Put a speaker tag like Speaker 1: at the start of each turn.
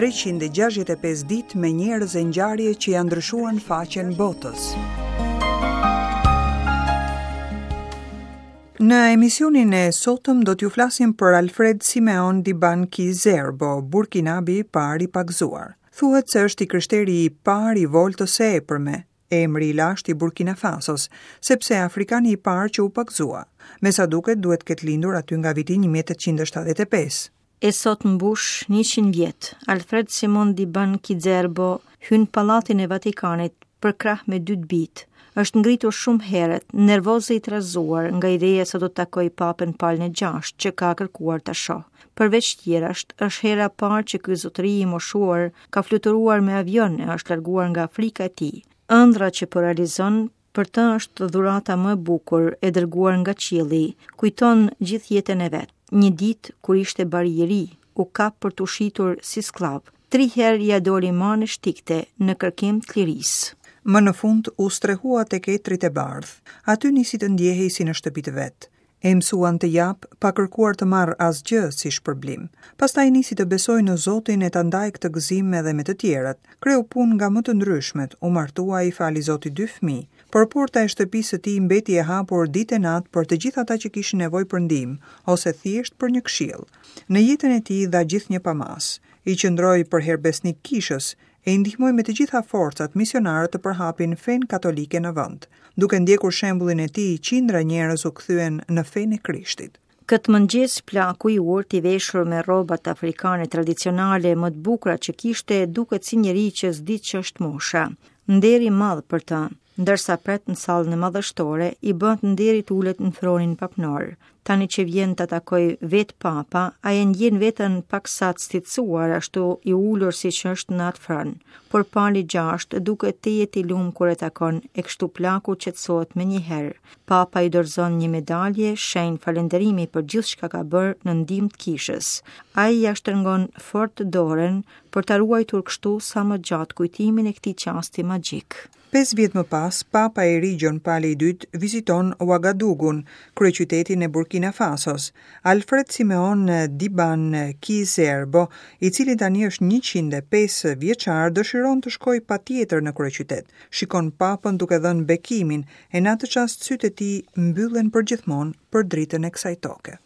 Speaker 1: 365 ditë me njerëz e ngjarje që ia ndryshuan faqen botës. Në emisionin e sotëm do t'ju flasim për Alfred Simeon Diban Ki-Zerbo, burkinabi i parë i pagëzuar. Thuhet se është i krishteri i parë i Voltës së Epërme, emri i lashtë i Burkina Fasos, sepse afrikani i parë që u pagëzua. Me sa duket duhet të ketë lindur aty nga viti 1875.
Speaker 2: E sot mbush 100 vjet, Alfred Simon Diban Ki-Zerbo hyn pallatin e Vatikanit përkrah me dy të bijtë. Është ngritur shumë herët, nervoz e i trazuar nga ideja se do të takojë Papën Palin e Gjashtë që ka kërkuar ta shohë. Përveç tjerash, është hera e parë që ky zotëri i moshuar ka fluturuar me avion e është larguar nga Afrika e tij. Ëndrra që po realizon për të është dhurata më e bukur e dërguar nga qielli, kujton gjithë jetën e vet. Një ditë kur ishte bari i ri, u kap për t'u shitur si skllav. Tri herë ia doli mbanë e shtikte në kërkim të lirisë.
Speaker 1: Më në fund u strehua tek etrit e bardhë. Aty nisi të ndjehej si në shtëpi të vet. E mësuan të japë, pa kërkuar të marrë asgjë si shpërblim. Pastaj nisi të besojë në Zotin e ta ndajë këtë gëzim edhe me të tjerët. Kreu punë nga më të ndryshmet, u martua e i fali Zoti dy fëmijë. Por porta e shtëpisë së tij mbeti e hapur ditë e natë për të gjithë ata që kishin nevojë për ndihmë, ose thjesht për një këshillë. Në jetën e tij dha gjithnjë pa masë. I qëndroi përherë besnik kishës, e i ndihmoi me të gjitha forcat misionarët të përhapin fenë katolike në vend. Duke ndjekur shembullin e tij, qindra njerëz u kthyen në fenë e Krishtit.
Speaker 2: Këtë mëngjes plaku i urtë i veshur me rrobat afrikane tradicionale më të bukura që kishte duket si njeri që s'di ç'është mosha. Nder i madh për të. Ndërsa pret në sallën e madhështore, i bëhet nderi të ulet në fronin papnor. Tani që vjen ta takojë vetë papa, ai e ndjen veten paksa të stitësuar ashtu i ulur siç është në atë fron. Por Pali gjashtë duket tejet i lum kur e takon e kështu plaku qetësohet menjëherë. Papa i dorëzon një medalje, shenjë falënderimi për gjithçka ka bërë në ndihmë të kishës. Ai ia shtrëngon fort dorën për ta ruajtur kështu sa më gjatë kujtimin e këtij çasti magjik.
Speaker 1: Pesë vjet më pas, Papa i ri Gjon Pali i Dytë viziton Ouagadugun, kryeqytetin e Burkina Fasos. Alfred Simeon Diban Ki-Zerbo, i cili tani është 105 vjeçar, dëshiron të shkojë patjetër në kryeqytet. Shikon Papën duke dhënë bekimin, e në atë çast sytë e tij mbyllen përgjithmonë për dritën e kësaj toke.